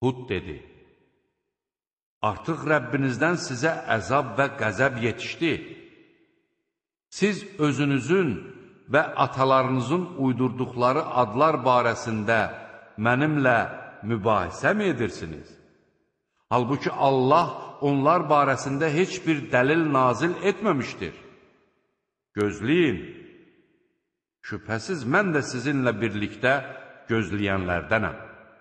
Hud dedi: Artıq Rəbbinizdən sizə əzab və qəzəb yetişdi. Siz özünüzün və atalarınızın uydurduqları adlar barəsində mənimlə mübahisə mi edirsiniz? Halbuki Allah onlar barəsində heç bir dəlil nazil etməmişdir. Gözləyin, şübhəsiz mən də sizinlə birlikdə gözləyənlərdənəm.